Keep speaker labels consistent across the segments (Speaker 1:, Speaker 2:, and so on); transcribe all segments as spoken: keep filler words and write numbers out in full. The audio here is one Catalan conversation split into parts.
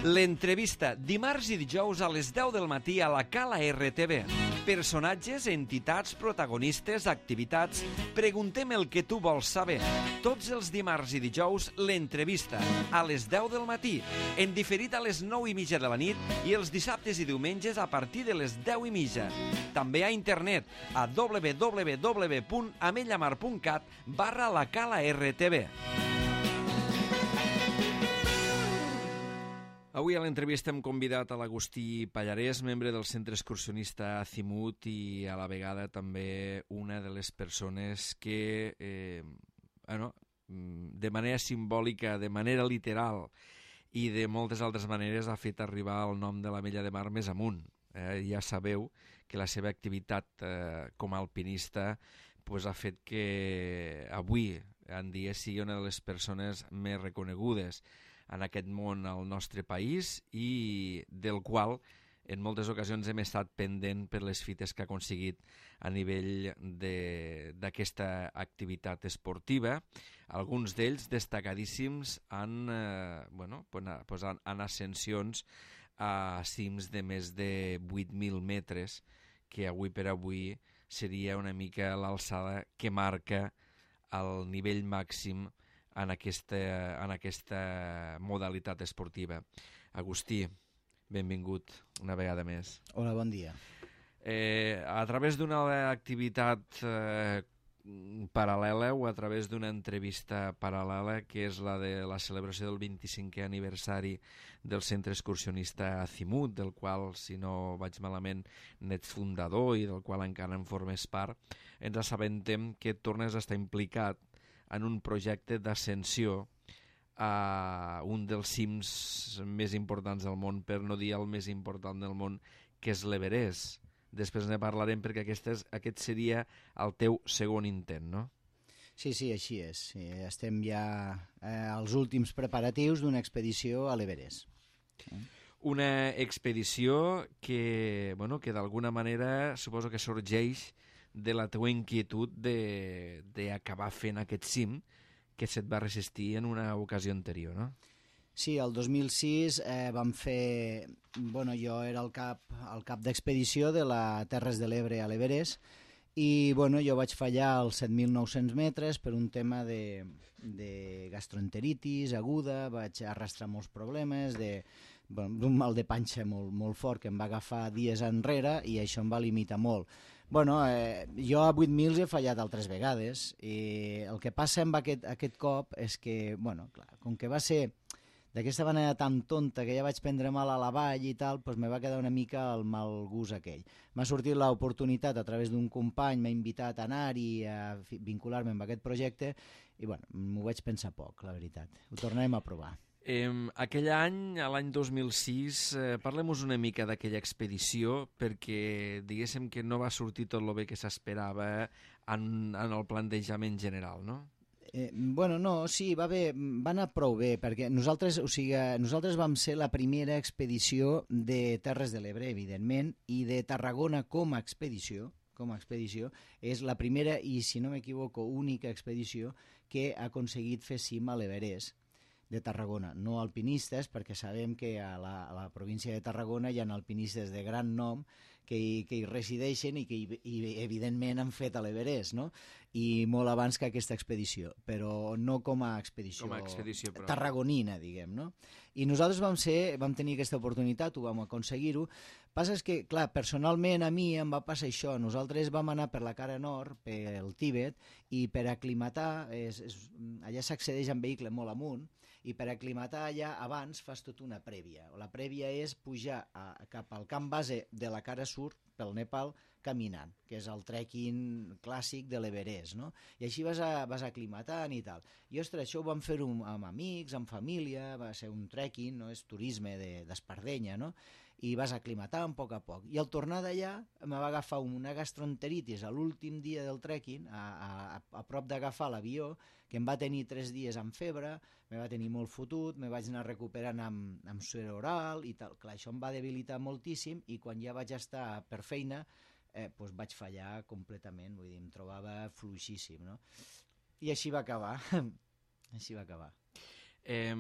Speaker 1: L'entrevista, dimarts i dijous a les deu del matí a la Cala R T V. Personatges, entitats, protagonistes, activitats... Preguntem el que tu vols saber. Tots els dimarts i dijous, l'entrevista, a les deu del matí, en diferit a les nou i mitja de la nit i els dissabtes i diumenges a partir de les deu i mitja. També a internet, a w w w punt amellamar punt cat barra la Cala R T V. Avui a l'entrevista hem convidat a l'Agustí Pallarès, membre del Centre Excursionista Azimut i a la vegada també una de les persones que, eh, bueno, de manera simbòlica, de manera literal i de moltes altres maneres ha fet arribar el nom de l'Ametlla de Mar més amunt. Eh, ja sabeu que la seva activitat eh, com a alpinista pues, ha fet que avui en dia sigui una de les persones més reconegudes en aquest món al nostre país i del qual en moltes ocasions hem estat pendent per les fites que ha aconseguit a nivell d'aquesta activitat esportiva. Alguns d'ells destacadíssims en, eh, bueno, pues en, en ascensions a cims de més de vuit mil metres, que avui per avui seria una mica l'alçada que marca el nivell màxim en aquesta, en aquesta modalitat esportiva. Agustí, benvingut una vegada més.
Speaker 2: Hola, bon dia.
Speaker 1: Eh, a través d'una activitat eh, paral·lela o a través d'una entrevista paral·lela, que és la de la celebració del vint-i-cinquè aniversari del Centre Excursionista Azimut, del qual, si no vaig malament, n'ets fundador i del qual encara en formes part, ens assabentem que tornes a estar implicat en un projecte d'ascensió a un dels cims més importants del món, per no dir el més important del món, que és l'Everest. Després ne parlarem perquè aquest, és, aquest seria el teu segon intent, no?
Speaker 2: Sí, sí, així és. Sí, estem ja eh, als últims preparatius d'una expedició a l'Everest.
Speaker 1: Una expedició que, bueno, que d'alguna manera suposo que sorgeix de la teua inquietud d'acabar fent aquest cim que se't va resistir en una ocasió anterior, no?
Speaker 2: Sí, el dos mil sis eh, vam fer... Bueno, jo era el cap, el cap d'expedició de la Terres de l'Ebre a l'Everest i bueno, jo vaig fallar als set mil nou-cents metres per un tema de, de gastroenteritis aguda, vaig arrastrar molts problemes, de, bueno, d'un mal de panxa molt, molt fort que em va agafar dies enrere i això em va limitar molt. Bueno, eh, jo a vuit mil he fallat altres vegades i el que passa amb aquest, aquest cop és que, bueno, clar, com que va ser d'aquesta manera tan tonta que ja vaig prendre mal a la vall i tal, doncs me va quedar una mica el mal gust aquell. M'ha sortit l'oportunitat a través d'un company, m'ha invitat a anar-hi, a vincular-me amb aquest projecte i bueno, m'ho vaig pensar poc, la veritat. Ho tornarem a provar.
Speaker 1: Eh, aquell any, a l'any dos mil sis, eh, parlem-nos una mica d'aquella expedició perquè diguéssim que no va sortir tot el bé que s'esperava en, en el plantejament general, no?
Speaker 2: Eh, bueno, no, sí, va bé, va anar prou bé, perquè nosaltres, o sigui, nosaltres vam ser la primera expedició de Terres de l'Ebre, evidentment, i de Tarragona com a expedició, com a expedició, és la primera i, si no m'equivoco, única expedició que ha aconseguit fer cim a l'Everest de Tarragona, no alpinistes, perquè sabem que a la, a la província de Tarragona hi ha alpinistes de gran nom que hi, que hi resideixen i que hi, i, evidentment han fet a l'Everest, no? I molt abans que aquesta expedició, però no com a expedició,
Speaker 1: com a expedició però...
Speaker 2: tarragonina, diguem, no? I nosaltres vam, ser, vam tenir aquesta oportunitat, ho vam aconseguir-ho. Passa és que, clar, personalment a mi em va passar això. Nosaltres vam anar per la cara nord, pel Tíbet, i per aclimatar, és, és, allà s'accedeix en vehicle molt amunt, i per aclimatar allà abans fas tota una prèvia. La prèvia és pujar a, cap al camp base de la cara sud, pel Nepal, caminant, que és el trekking clàssic de l'Everest, no? I així vas, a, vas aclimatant i tal. I, ostres, això ho vam fer-ho amb amics, amb família, va ser un trekking, no? És turisme d'espardenya, no? I vas aclimatant a poc a poc. I al tornar d'allà em va agafar una gastroenteritis a l'últim dia del trekking, a, a, a prop d'agafar l'avió, que em va tenir tres dies amb febre, me va tenir molt fotut, me vaig anar recuperant amb, amb suer oral i tal. Clar, això em va debilitar moltíssim i quan ja vaig estar per feina eh, doncs vaig fallar completament, vull dir, em trobava fluixíssim, no? I així va acabar, així va acabar.
Speaker 1: Eh,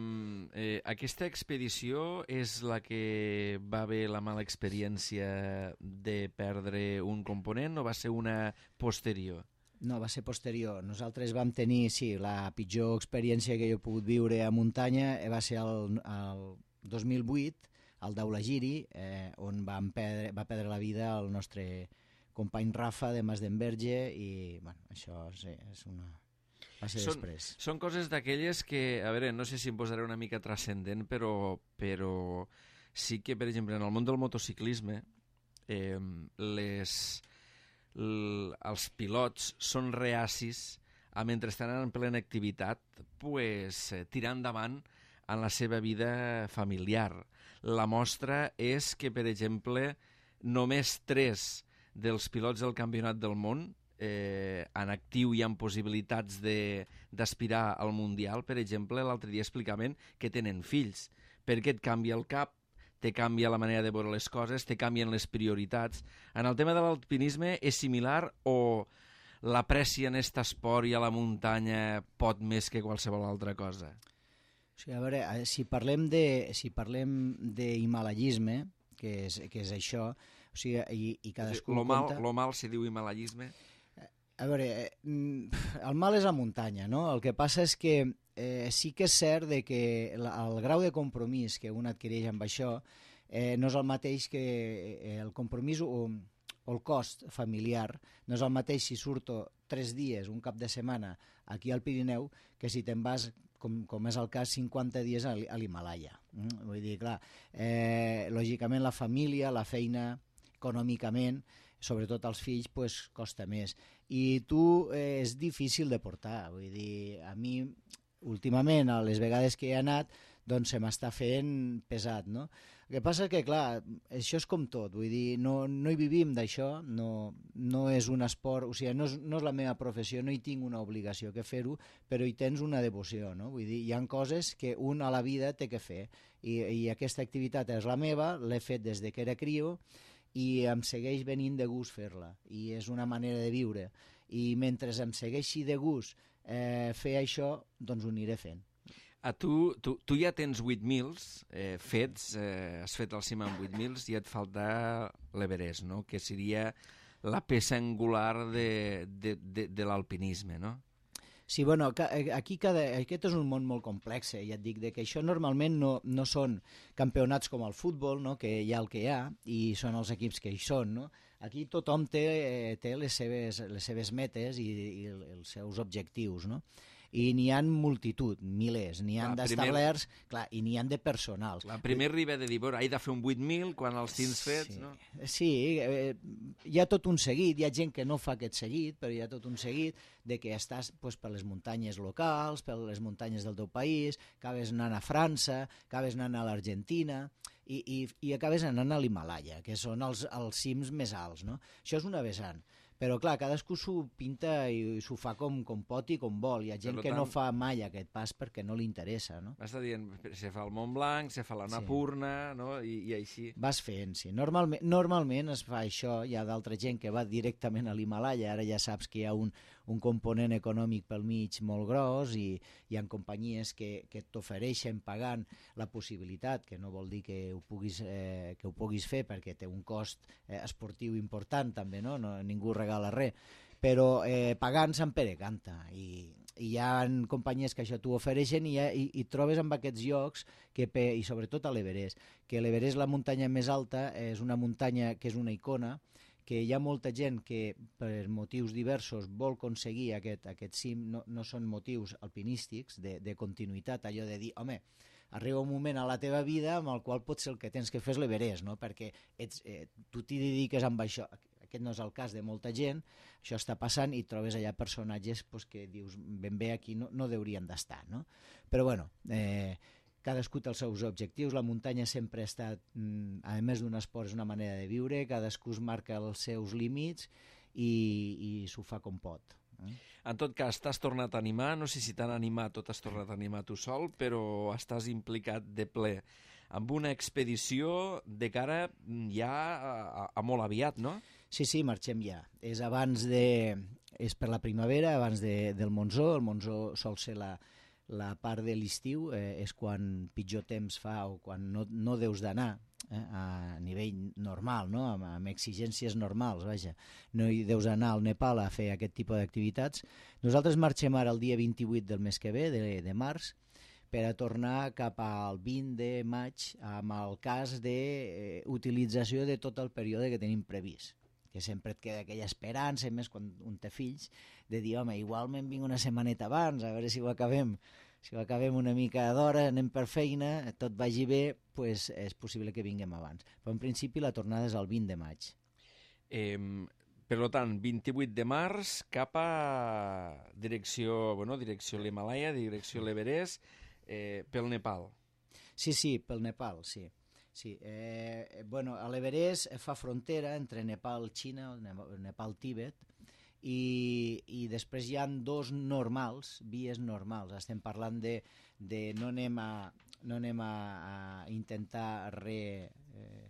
Speaker 1: eh, aquesta expedició és la que va haver la mala experiència de perdre un component o va ser una posterior?
Speaker 2: No, va ser posterior. Nosaltres vam tenir, sí, la pitjor experiència que jo he pogut viure a muntanya va ser el, el dos mil vuit, al Daulagiri, eh, on van perdre, va perdre la vida el nostre company Rafa de Masdenverge i, bueno, això sí, és una... va ser
Speaker 1: són,
Speaker 2: després.
Speaker 1: Són coses d'aquelles que, a veure, no sé si em posaré una mica transcendent, però, però sí que, per exemple, en el món del motociclisme, eh, les... L, els pilots són reacis a, mentre estan en plena activitat, pues, eh, tirar endavant en la seva vida familiar. La mostra és que, per exemple, només tres dels pilots del Campionat del Món eh, en actiu i amb possibilitats d'aspirar al Mundial, per exemple, l'altre dia explicaven que tenen fills, perquè et canvia el cap, te canvia la manera de veure les coses, te canvien les prioritats. En el tema de l'alpinisme és similar o l'aprecia en aquest esport i a la muntanya pot més que qualsevol altra cosa?
Speaker 2: O sigui, a veure, si parlem de si parlem d'himalayisme, que és, que és això, o sigui, i, i cadascú
Speaker 1: lo mal,
Speaker 2: compta...
Speaker 1: Lo mal si diu himalayisme?
Speaker 2: A veure, el mal és la muntanya, no? El que passa és que eh, sí que és cert de que el grau de compromís que un adquireix amb això eh, no és el mateix que eh, el compromís o, o el cost familiar, no és el mateix si surto tres dies, un cap de setmana, aquí al Pirineu, que si te'n vas, com, com és el cas, cinquanta dies a l'Himalaya. Mm? Vull dir, clar, eh, lògicament la família, la feina, econòmicament, sobretot als fills, pues, costa més. I tu eh, és difícil de portar. Vull dir, a mi, últimament, a les vegades que he anat, doncs se m'està fent pesat, no? El que passa que, clar, això és com tot. Vull dir, no, no hi vivim d'això, no, no és un esport, o sigui, no és, no és la meva professió, no hi tinc una obligació que fer-ho, però hi tens una devoció, no? Vull dir, hi ha coses que un a la vida té que fer. I, i aquesta activitat és la meva, l'he fet des de que era crio, i em segueix venint de gust fer-la, i és una manera de viure, i mentre em segueixi de gust eh, fer això, doncs ho aniré fent.
Speaker 1: A tu, tu, tu ja tens vuit mils eh, fets, eh, has fet el cim amb vuit mils i et falta l'Everest, no? Que seria la peça angular de, de, de, de l'alpinisme, no?
Speaker 2: Sí, bueno, aquí cada, aquest és un món molt complex, eh? Ja et dic, de que això normalment no, no són campionats com el futbol, no? Que hi ha el que hi ha, i són els equips que hi són, no? Aquí tothom té, té les, seves, les seves metes i, i els seus objectius, no? I n'hi ha multitud, milers, n'hi ha d'establerts, clar, i n'hi ha de personals.
Speaker 1: La primer riba de dir, bueno, he de fer un vuit mil quan els tens fets,
Speaker 2: sí,
Speaker 1: no?
Speaker 2: Sí, eh, hi ha tot un seguit, hi ha gent que no fa aquest seguit, però hi ha tot un seguit de que estàs pues, per les muntanyes locals, per les muntanyes del teu país, acabes anant a França, acabes anant a l'Argentina, i, i, i acabes anant a l'Himalaya, que són els, els cims més alts, no? Això és una vessant. Però, clar, cadascú s'ho pinta i s'ho fa com, com pot i com vol. Hi ha gent que no fa mai aquest pas perquè no li interessa, no?
Speaker 1: M'està dient, se fa el Mont Blanc, se fa l'Annapurna, sí. No? I, i així.
Speaker 2: Vas fent, sí. Normalment, normalment es fa això. Hi ha d'altra gent que va directament a l'Himalaya. Ara ja saps que hi ha un, un component econòmic pel mig molt gros i hi ha companyies que, que t'ofereixen pagant la possibilitat, que no vol dir que ho puguis, eh, que ho puguis fer perquè té un cost eh, esportiu important també, no? No ningú regala res, però eh, pagant Sant Pere canta i, i hi ha companyies que això t'ho ofereixen i, i, i trobes en aquests llocs que, i sobretot a l'Everest, que l'Everest, la muntanya més alta, és una muntanya que és una icona, que hi ha molta gent que per motius diversos vol aconseguir aquest, aquest cim, no, no són motius alpinístics de, de continuïtat, allò de dir, home, arriba un moment a la teva vida amb el qual potser el que tens que fer és l'Everest, no? Perquè ets, eh, tu t'hi dediques amb això. Aquest no és el cas de molta gent, això està passant i trobes allà personatges pues, que dius ben bé aquí no, no deurien d'estar, no? Però bueno, eh, cadascú té els seus objectius, la muntanya sempre ha estat, a més d'un esport, és una manera de viure, cadascú es marca els seus límits i, i s'ho fa com pot. Eh?
Speaker 1: En tot cas, t'has tornat a animar, no sé si t'han animat o t'has tornat a animar tu sol, però estàs implicat de ple amb una expedició de cara ja a, a, a molt aviat, no?
Speaker 2: Sí, sí, marxem ja. És abans de... és per la primavera, abans de, del Monzó. El Monzó sol ser la, la part de l'estiu eh, és quan pitjor temps fa o quan no, no deus d'anar eh, a nivell normal, no? amb, amb exigències normals, vaja. No hi deus anar al Nepal a fer aquest tipus d'activitats. Nosaltres marxem ara el dia vint-i-vuit del mes que ve, de, de març, per a tornar cap al vint de maig amb el cas d'utilització de tot el període que tenim previst, que sempre et queda aquella esperança, més quan un té fills, de dir, home, igual me'n vinc una setmaneta abans, a veure si ho acabem, si ho acabem una mica d'hora, anem per feina, tot vagi bé, pues és possible que vinguem abans. Però en principi la tornada és el vint de maig.
Speaker 1: Eh, per tant, vint-i-vuit de març cap a direcció, bueno, direcció l'Himalaya, direcció l'Everest, eh, pel Nepal.
Speaker 2: Sí, sí, pel Nepal, sí. Sí, eh, bueno, a l'Everest fa frontera entre Nepal, Xina, Nepal, Tibet, i, i després hi ha dos normals, vies normals. Estem parlant de, de no anem a, no anem a, a intentar re, eh,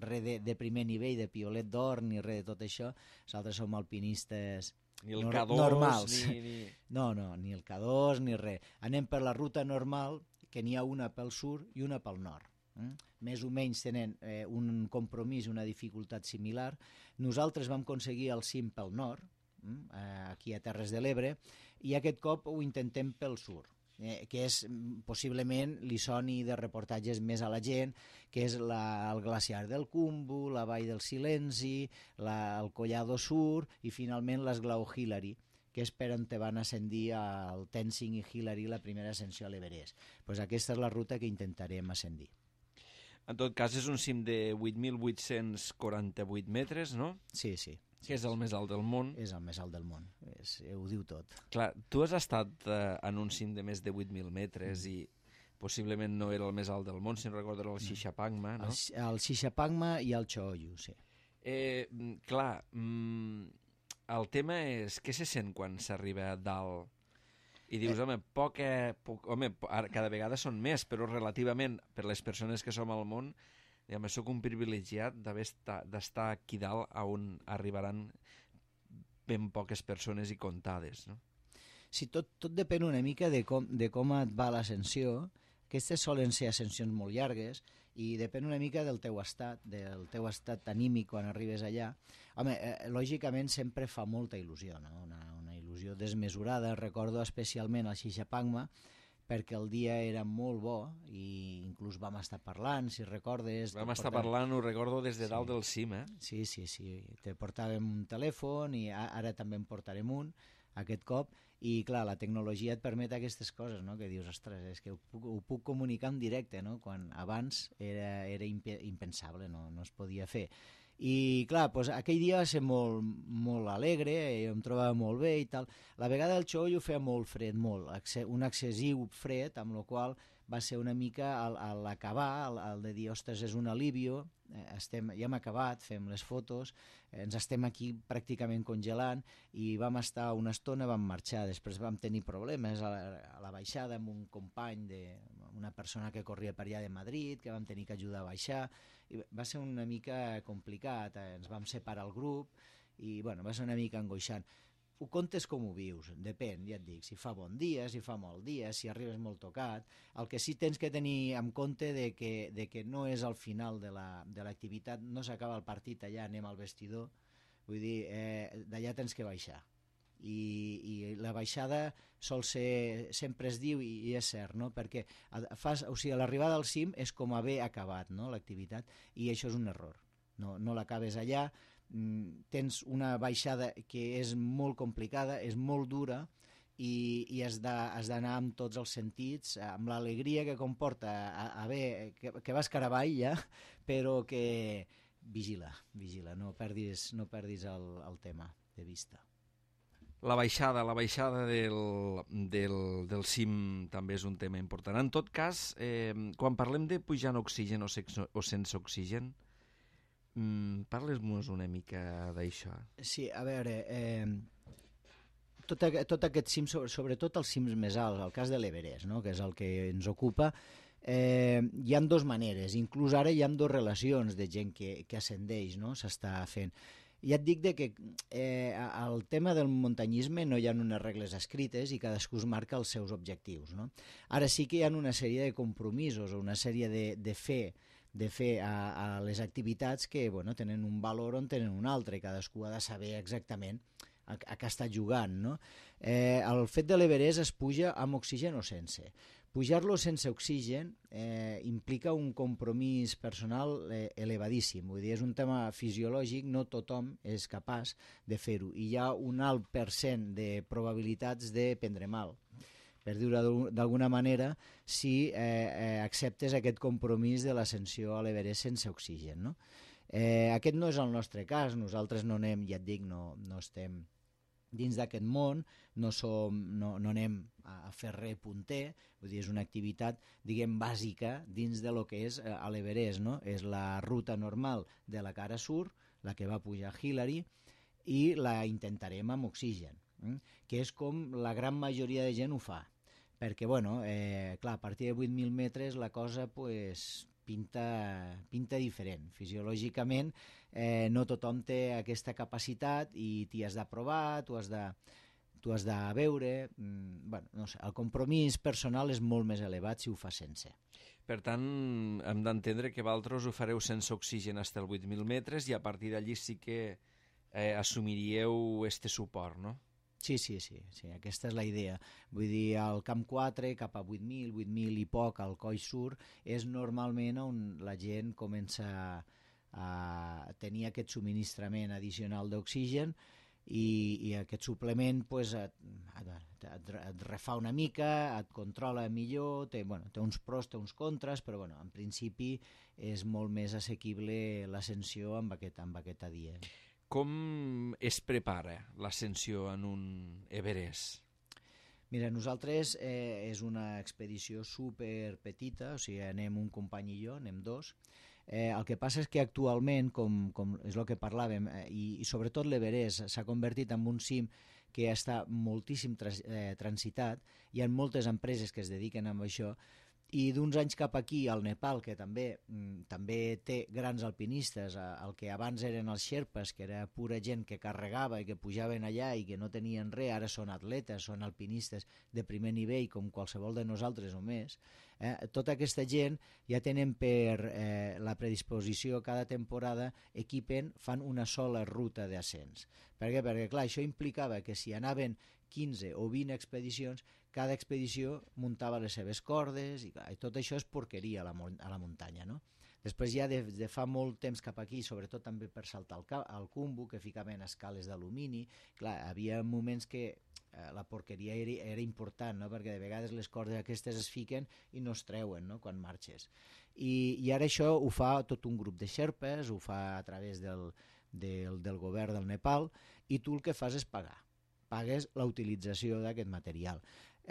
Speaker 2: re de, de primer nivell, de piolet d'or, ni res de tot això. Nosaltres som alpinistes
Speaker 1: ni el
Speaker 2: nor
Speaker 1: K dos,
Speaker 2: normals.
Speaker 1: Ni, ni...
Speaker 2: No, no, ni el K dos, ni res. Anem per la ruta normal, que n'hi ha una pel sud i una pel nord. Mm? Més o menys tenen eh, un compromís, una dificultat similar. Nosaltres vam aconseguir el cim pel nord, mm? eh, aquí a Terres de l'Ebre, i aquest cop ho intentem pel sud, eh, que és, possiblement, li soni de reportatges més a la gent, que és la, el glaciar del Khumbu, la vall del Silenci, la, el Collado Sur i, finalment, l'esglaó Hillary, que és per on te van ascendir el Tenzing i Hillary la primera ascensió a l'Everest. Pues aquesta és la ruta que intentarem ascendir.
Speaker 1: En tot cas, és un cim de vuit mil vuit-cents quaranta-vuit metres, no?
Speaker 2: Sí, sí.
Speaker 1: Que és el més alt del món.
Speaker 2: És el més alt del món, és, ho diu tot.
Speaker 1: Clar, tu has estat eh, en un cim de més de vuit mil metres mm. i possiblement no era el més alt del món, si no recordo era el Shishapangma, no?
Speaker 2: El, el Shishapangma i el Choyu, sí.
Speaker 1: Eh, clar, mm, el tema és què se sent quan s'arriba a dalt i dius, home, poca, poc, home, cada vegada són més, però relativament per les persones que som al món, diguem, soc un privilegiat d'estar aquí dalt on arribaran ben poques persones i comptades, no?
Speaker 2: Sí, tot, tot depèn una mica de com, de com et va l'ascensió. Aquestes solen ser ascensions molt llargues i depèn una mica del teu estat, del teu estat anímic quan arribes allà. Home, eh, lògicament sempre fa molta il·lusió, no? Una, una il·lusió desmesurada. Recordo especialment el Shishapangma, perquè el dia era molt bo i inclús vam estar parlant, si recordes...
Speaker 1: Vam estar portàvem... parlant, ho recordo, des de dalt sí. del cim, eh?
Speaker 2: Sí, sí, sí. Te portàvem un telèfon i ara també en portarem un, aquest cop, i clar, la tecnologia et permet aquestes coses, no? Que dius, ostres, és que ho puc, ho puc comunicar en directe, no? Quan abans era, era imp impensable, no? No es podia fer. I clar, doncs, aquell dia va ser molt, molt alegre, em trobava molt bé i tal. La vegada del Choyu feia molt fred, molt, un excessiu fred, amb la qual va ser una mica a, a l'acabar, el, el de dir, ostres, és un alivio, estem, ja hem acabat, fem les fotos, ens estem aquí pràcticament congelant i vam estar una estona, vam marxar, després vam tenir problemes a la, a la baixada amb un company, de, una persona que corria per allà de Madrid, que vam tenir que ajudar a baixar, i va ser una mica complicat, ens vam separar el grup i bueno, va ser una mica angoixant. Ho comptes com ho vius, depèn, ja et dic, si fa bon dia, si fa mal dia, si arribes molt tocat. El que sí tens que tenir en compte de que, de que no és al final de l'activitat, no s'acaba el partit allà, anem al vestidor, vull dir, eh, d'allà tens que baixar. I, i la baixada sol ser, sempre es diu, i, i és cert, no? Perquè fas, o sigui, l'arribada al cim és com haver acabat, no? L'activitat, i això és un error, no, no l'acabes allà, tens una baixada que és molt complicada, és molt dura i, i has d'anar amb tots els sentits, amb l'alegria que comporta haver, que, que vas cara avall ja, però que vigila, vigila, no perdis, no perdis el, el tema de vista.
Speaker 1: La baixada, la baixada del, del, del cim també és un tema important. En tot cas, eh, quan parlem de pujar en oxigen o, sex, o sense oxigen, Mm, parles-nos una mica d'això.
Speaker 2: Sí, a veure, eh, tot, tot aquest cim, sobretot els cims més alts, el cas de l'Everest, no? Que és el que ens ocupa, eh, hi ha dues maneres, inclús ara hi ha dues relacions de gent que, que ascendeix, no? S'està fent. Ja et dic de que eh, el tema del muntanyisme no hi ha unes regles escrites i cadascú es marca els seus objectius, no? Ara sí que hi ha una sèrie de compromisos o una sèrie de, de fer de fer a, a les activitats que bueno, tenen un valor o en tenen un altre, i cadascú ha de saber exactament a, a què està jugant, no? Eh, el fet de l'Everest es puja amb oxigen o sense. Pujar-lo sense oxigen eh, implica un compromís personal eh, elevadíssim, vull dir, és un tema fisiològic, no tothom és capaç de fer-ho, i hi ha un alt percent de probabilitats de prendre mal, per dir-ho d'alguna manera, si eh, eh, acceptes aquest compromís de l'ascensió a l'Everest sense oxigen, no? Eh, aquest no és el nostre cas, nosaltres no anem, ja et dic, no, no estem dins d'aquest món, no, som, no, no anem a fer res punter, vull dir, és una activitat, diguem, bàsica dins de lo que és a l'Everest, no? És la ruta normal de la cara sur, la que va pujar Hillary, i la intentarem amb oxigen, eh? Que és com la gran majoria de gent ho fa, perquè, bueno, eh, clar, a partir de vuit mil metres la cosa, pues, pinta, pinta diferent. Fisiològicament eh, no tothom té aquesta capacitat i t'hi has de provar, tu has de, tu has de veure, mm, bueno, no sé, el compromís personal és molt més elevat si ho fa sense.
Speaker 1: Per tant, hem d'entendre que vosaltres ho fareu sense oxigen fins als vuit mil metres i a partir d'allí sí que eh, assumiríeu este suport, no?
Speaker 2: Sí, sí, sí, sí, aquesta és la idea. Vull dir, al camp quatre, cap a vuit mil, vuit mil i poc, al coll sur, és normalment on la gent comença a tenir aquest subministrament addicional d'oxigen i, i aquest suplement pues, et, et, et, et refà una mica, et controla millor, té, bueno, té uns pros, té uns contres, però bueno, en principi és molt més assequible l'ascensió amb, aquest, amb aquesta dia.
Speaker 1: Com es prepara l'ascensió en un Everest?
Speaker 2: Mira, nosaltres eh, és una expedició super petita, o sigui, anem un company i jo, anem dos. Eh, el que passa és que actualment, com, com és el que parlàvem, eh, i, i sobretot l'Everest s'ha convertit en un cim que està moltíssim trans, eh, transitat, hi ha moltes empreses que es dediquen a això, i d'uns anys cap aquí, al Nepal, que també, mm, també té grans alpinistes, el que abans eren els Sherpas, que era pura gent que carregava i que pujaven allà i que no tenien res, ara són atletes, són alpinistes de primer nivell, com qualsevol de nosaltres o més. Eh? Tota aquesta gent ja tenen per eh, la predisposició cada temporada, equipen, fan una sola ruta d'ascens. Per què? Perquè, clar, això implicava que si anaven quinze o vint expedicions, cada expedició muntava les seves cordes i, clar, i tot això és porqueria a la, a la muntanya, no? Després ja de, de fa molt temps cap aquí, sobretot també per saltar al, al Khumbu, que ficaven escales d'alumini, clar, havia moments que eh, la porqueria era, era important, no? Perquè de vegades les cordes aquestes es fiquen i no es treuen, no? Quan marxes. I, i ara això ho fa tot un grup de xerpes, ho fa a través del, del, del govern del Nepal, i tu el que fas és pagar. Pagues la utilització d'aquest material.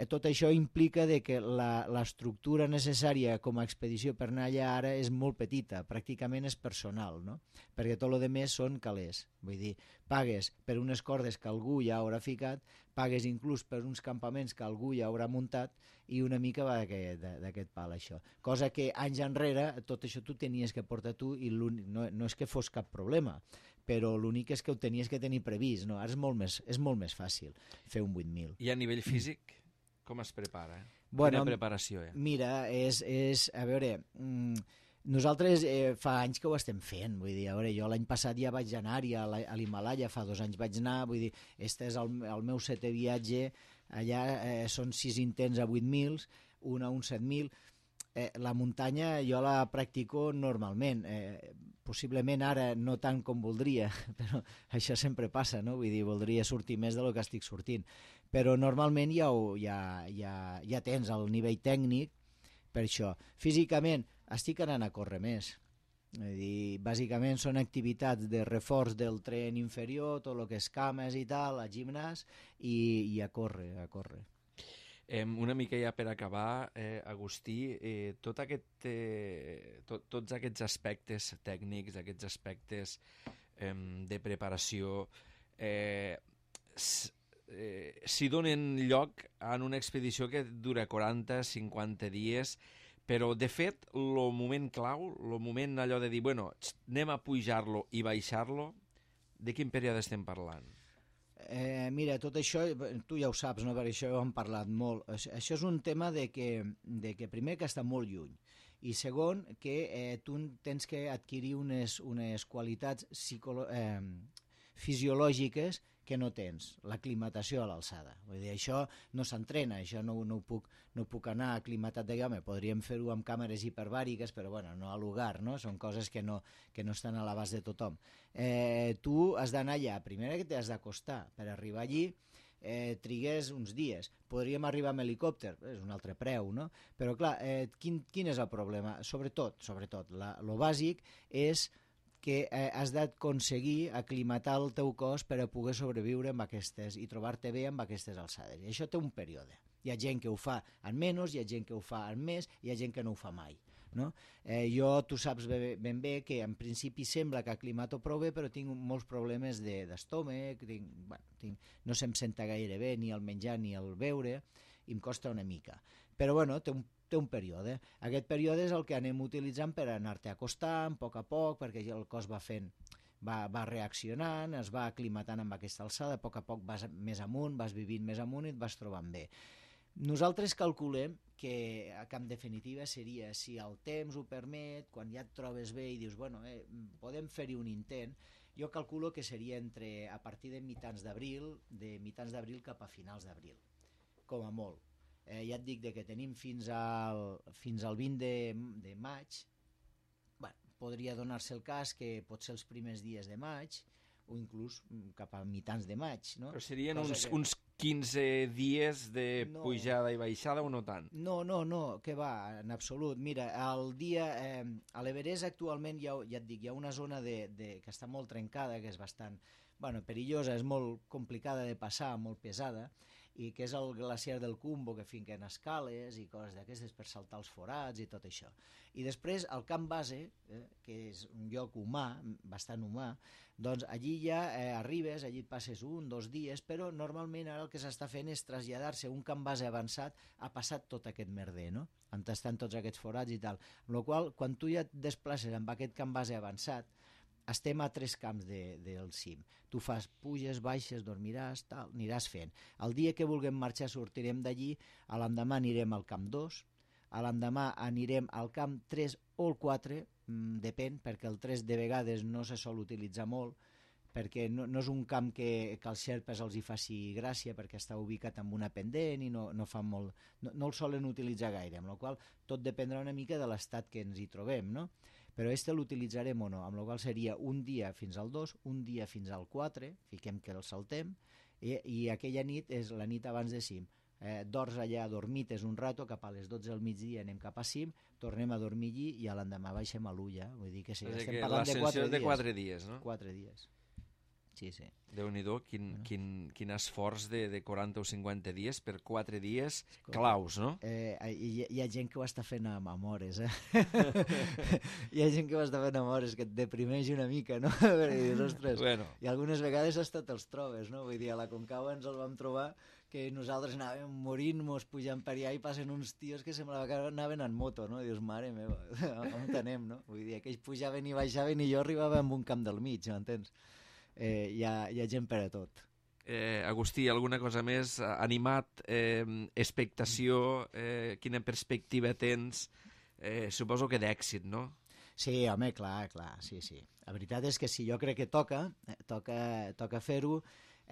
Speaker 2: Tot això implica de que l'estructura necessària com a expedició per anar allà ara és molt petita, pràcticament és personal, no? Perquè tot el més són calés. Vull dir, pagues per unes cordes que algú ja haurà ficat, pagues inclús per uns campaments que algú ja haurà muntat i una mica va d'aquest pal, això. Cosa que anys enrere tot això tu tenies que portar tu i no, no és que fos cap problema, però l'únic és que ho tenies que tenir previst, no? Ara és molt més, és molt més fàcil fer un vuit mil.
Speaker 1: I a nivell físic, com es prepara?
Speaker 2: Bueno,
Speaker 1: quina preparació hi ha?
Speaker 2: Mira, és, és a veure, mmm, nosaltres eh, fa anys que ho estem fent, vull dir, a veure, jo l'any passat ja vaig anar-hi a l'Himalaya, fa dos anys vaig anar, vull dir, este és el, el meu setè viatge, allà eh, són sis intents a vuit mil, un a un set mil, eh, la muntanya jo la practico normalment, eh, possiblement ara no tant com voldria, però això sempre passa, no? Vull dir, voldria sortir més del que estic sortint, però normalment ja, ho, ja, ja, ja tens el nivell tècnic per això. Físicament estic anant a córrer més, és dir, bàsicament són activitats de reforç del tren inferior, tot el que és cames i tal, a gimnàs, i, i a córrer, a córrer.
Speaker 1: Eh, una mica ja per acabar, eh, Agustí, eh, tot aquest, eh, to, tots aquests aspectes tècnics, aquests aspectes eh, de preparació, eh, eh, s'hi donen lloc en una expedició que dura quaranta cinquanta dies, però de fet el moment clau, el moment allò de dir, bueno, anem a pujar-lo i baixar-lo, de quin període estem parlant?
Speaker 2: Eh, mira, tot això, tu ja ho saps, no? Per això ho hem parlat molt. Això és un tema de que, de que primer que està molt lluny, i segon que eh, tu tens que adquirir unes, unes qualitats psicolo eh, fisiològiques que no tens, l'aclimatació a l'alçada. Vull dir, això no s'entrena, això no, no, ho puc, no puc anar aclimatat de home, podríem fer-ho amb càmeres hiperbàriques, però bueno, no a lugar, no? Són coses que no, que no estan a l'abast de tothom. Eh, tu has d'anar allà, primer que t'has d'acostar, per arribar allí eh, trigues uns dies. Podríem arribar amb helicòpter, és un altre preu, no? Però clar, eh, quin, quin és el problema? Sobretot, sobretot, la, lo bàsic és que eh, has d'aconseguir aclimatar el teu cos per a poder sobreviure amb aquestes i trobar-te bé amb aquestes alçades. I això té un període. Hi ha gent que ho fa en menys, hi ha gent que ho fa en més, hi ha gent que no ho fa mai. No? Eh, jo, tu saps ben, ben bé que en principi sembla que aclimato prou bé, però tinc molts problemes d'estómac, de, bueno, tinc, no se'm senta gaire bé ni el menjar ni el beure, i em costa una mica. Però bueno, té un té un període. Aquest període és el que anem utilitzant per anar-te acostant a poc a poc, perquè el cos va fent, va, va reaccionant, es va aclimatant amb aquesta alçada, a poc a poc vas més amunt, vas vivint més amunt i et vas trobant bé. Nosaltres calculem que, que en definitiva seria, si el temps ho permet, quan ja et trobes bé i dius, bueno, eh, podem fer-hi un intent, jo calculo que seria entre, a partir de mitjans d'abril, de mitjans d'abril cap a finals d'abril, com a molt. Eh, ja et dic de que tenim fins al, fins al vint de, de maig. Bueno, podria donar-se el cas que pot ser els primers dies de maig o inclús cap a mitjans de maig, no?
Speaker 1: Però serien uns,
Speaker 2: que...
Speaker 1: uns quinze dies de no. pujada i baixada o no tant?
Speaker 2: No, no, no, que va, en absolut. Mira, el dia, eh, a l'Everest actualment ja, ja et dic, hi ha una zona de, de, que està molt trencada, que és bastant bueno, perillosa, és molt complicada de passar, molt pesada, i que és el glaciar del Cumbo, que finquen escales i coses d'aquestes per saltar els forats i tot això. I després el camp base, eh, que és un lloc humà, bastant humà, doncs allí ja eh, arribes, allí et passes un, dos dies, però normalment ara el que s'està fent és traslladar-se a un camp base avançat, ha passat tot aquest merder, no? On estan tots aquests forats i tal. Amb la qual cosa, quan tu ja et desplaces amb aquest camp base avançat, estem a tres camps de, del cim. Tu fas puges, baixes, dormiràs, tal, aniràs fent. El dia que vulguem marxar sortirem d'allí, a l'endemà anirem al camp dos, a l'endemà anirem al camp tres o el quatre, mmm, depèn, perquè el tres de vegades no se sol utilitzar molt, perquè no, no és un camp que, que als xerpes els hi faci gràcia, perquè està ubicat en una pendent i no, no, fa molt, no, no el solen utilitzar gaire, amb la qual tot dependrà una mica de l'estat que ens hi trobem, no? Però este l'utilitzarem o no, amb la qual seria un dia fins al dos, un dia fins al quatre, fiquem que el saltem, i, i aquella nit és la nit abans de cim. Eh, dors allà, dormites un rato, cap a les dotze del migdia anem cap a cim, tornem a dormir allí i a l'endemà baixem a l'Ulla. Vull dir que sí,
Speaker 1: o sigui
Speaker 2: estem
Speaker 1: que
Speaker 2: parlant de quatre dies.
Speaker 1: de quatre dies, no?
Speaker 2: Quatre dies. Sí, sí.
Speaker 1: Déu-n'hi-do, quin,
Speaker 2: bueno. quin,
Speaker 1: quin esforç de, de quaranta o cinquanta dies per quatre dies claus, no?
Speaker 2: Eh, hi, hi ha gent que ho està fent amb, amb hores, eh? Hi ha gent que ho està fent amb hores, que et deprimeix una mica, no? Perquè dius, ostres,
Speaker 1: bueno.
Speaker 2: I algunes vegades hasta te'ls trobes, no? Vull dir, a la Concagua ens el vam trobar que nosaltres anàvem morint-nos pujant per allà i passen uns tios que semblava que anaven en moto, no? I dius, mare meva, on tenem, no? Vull dir, aquells pujaven i baixaven i jo arribava amb un camp del mig, m'entens? Eh, hi, ha, hi ha gent per a tot.
Speaker 1: Eh, Agustí, alguna cosa més? Animat, eh, expectació, eh, quina perspectiva tens? Eh, suposo que d'èxit, no?
Speaker 2: Sí, home, clar, clar, sí, sí. La veritat és que sí, jo crec que toca, eh, toca, toca fer-ho.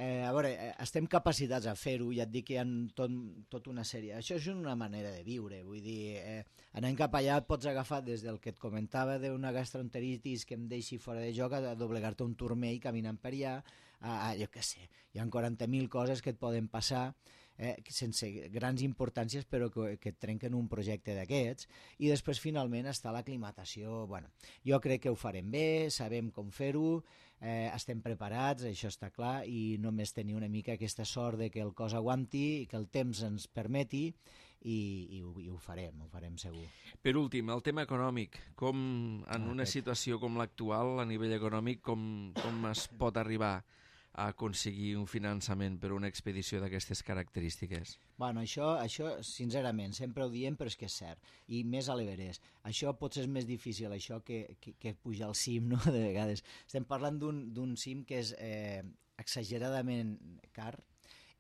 Speaker 2: Eh, a veure, eh, estem capacitats a fer-ho, ja et dic que hi ha tot, tot una sèrie. Això és una manera de viure, vull dir, eh, anant cap allà et pots agafar des del que et comentava d'una gastroenteritis que em deixi fora de joc a doblegar-te un turmell caminant per allà, a, a, jo què sé, hi ha quaranta mil coses que et poden passar eh, sense grans importàncies però que, que et trenquen un projecte d'aquests, i després finalment està l'aclimatació. Bueno, jo crec que ho farem bé, sabem com fer-ho, eh, estem preparats, això està clar, i només tenir una mica aquesta sort de que el cos aguanti i que el temps ens permeti, i, i, ho, i ho farem, ho farem segur.
Speaker 1: Per últim, el tema econòmic, com en
Speaker 2: ah,
Speaker 1: una
Speaker 2: aquest.
Speaker 1: situació com l'actual, a nivell econòmic, com, com es pot arribar a aconseguir un finançament per una expedició d'aquestes característiques?
Speaker 2: Bueno, això, això, sincerament, sempre ho diem, però és que és cert. I més a l'Everest. Això potser és més difícil, això, que, que, que pujar al cim, no?, de vegades. Estem parlant d'un cim que és eh, exageradament car,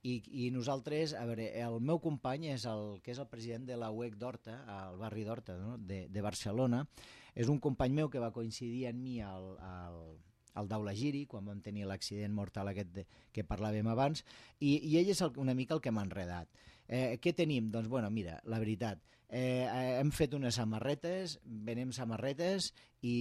Speaker 2: i, i nosaltres, a veure, el meu company és el que és el president de la U E C d'Horta, al barri d'Horta, no?, de, de Barcelona. És un company meu que va coincidir amb mi al... al al Daula Giri, quan vam tenir l'accident mortal aquest de, que parlàvem abans, i, i ell és el, una mica el que m'ha enredat. Eh, què tenim? Doncs, bueno, mira, la veritat, eh, hem fet unes samarretes, venem samarretes, i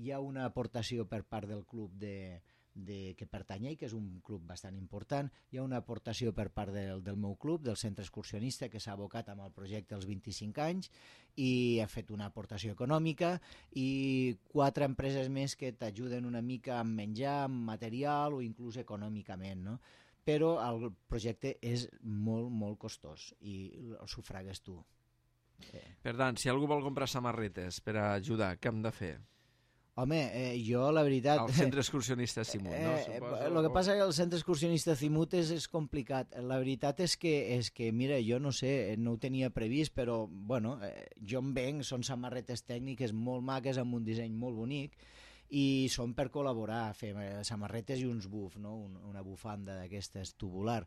Speaker 2: hi ha una aportació per part del club de, de, que pertany a ell, que és un club bastant important. Hi ha una aportació per part del, del meu club, del centre excursionista, que s'ha abocat amb el projecte als vint-i-cinc anys, i ha fet una aportació econòmica, i quatre empreses més que t'ajuden una mica amb menjar, amb material o inclús econòmicament, no? Però el projecte és molt, molt costós i el sufragues tu.
Speaker 1: Per tant, si algú vol comprar samarretes per ajudar, què hem de fer?
Speaker 2: Home, eh, jo la veritat...
Speaker 1: El centre excursionista Simut, no?
Speaker 2: Eh, el que passa és que el centre excursionista Simut és, és complicat. La veritat és que, és que, mira, jo no sé, no ho tenia previst, però, bueno, eh, jo em venc, són samarretes tècniques molt maques, amb un disseny molt bonic, i són per col·laborar, fer samarretes i uns buf, no? Un, una bufanda d'aquestes tubular.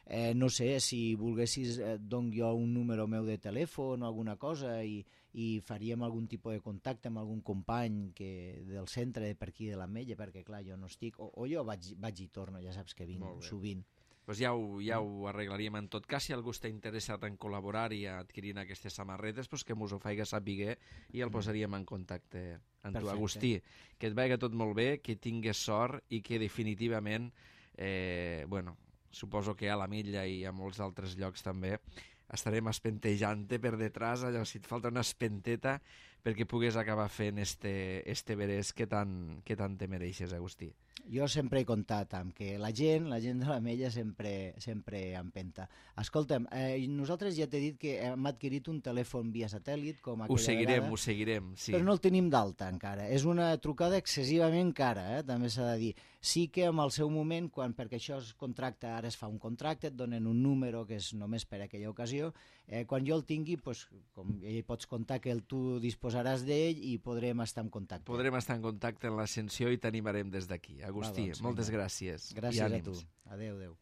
Speaker 2: Eh, no sé, si volguessis, eh, dono jo un número meu de telèfon o alguna cosa, i, i faríem algun tipus de contacte amb algun company que, del centre per aquí de l'Ametlla, perquè clar, jo no estic, o, o jo vaig, vaig i torno, ja saps que vinc sovint.
Speaker 1: Pues ja ho, ja ho arreglaríem. En tot cas, si algú està interessat en col·laborar i adquirint aquestes samarretes, pues que mos ho faiga saber i el posaríem en contacte amb tu, Agustí. Que et vagi tot molt bé, que tingues sort i que definitivament, eh, bueno, suposo que a la Milla i a molts altres llocs també, estarem espentejant-te per detrás, allò, si et falta una espenteta perquè pugues acabar fent este, este Everest que tant, que tant te mereixes, Agustí.
Speaker 2: Jo sempre he comptat amb que la gent, la gent de l'Ametlla sempre, sempre empenta. Escolta'm, eh, nosaltres ja t'he dit que hem adquirit un telèfon via satèl·lit, com aquella
Speaker 1: Ho seguirem,
Speaker 2: vegada,
Speaker 1: ho seguirem, sí.
Speaker 2: Però no el tenim d'alta encara. És una trucada excessivament cara, eh? També s'ha de dir. Sí que en el seu moment, quan, perquè això es contracta, ara es fa un contracte, et donen un número que és només per a aquella ocasió, eh, quan jo el tingui, pues, com ja hi pots comptar que el, tu disposaràs d'ell i podrem estar en contacte.
Speaker 1: Podrem estar en contacte en l'ascensió i t'animarem des d'aquí. Agustí, doncs, moltes gràcies.
Speaker 2: Gràcies a tu. Adéu, adéu.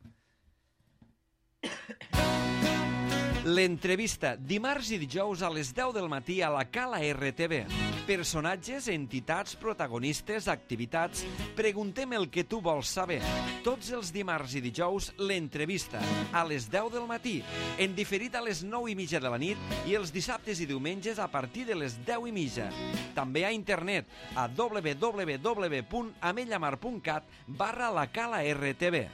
Speaker 1: L'entrevista, dimarts i dijous a les deu del matí a la Cala R T V. Personatges, entitats, protagonistes, activitats... Preguntem el que tu vols saber. Tots els dimarts i dijous, l'entrevista, a les deu del matí, en diferit a les nou i mitja de la nit i els dissabtes i diumenges a partir de les deu i mitja. També a internet, a w w w punt ametlamar punt cat barra la Cala R T V.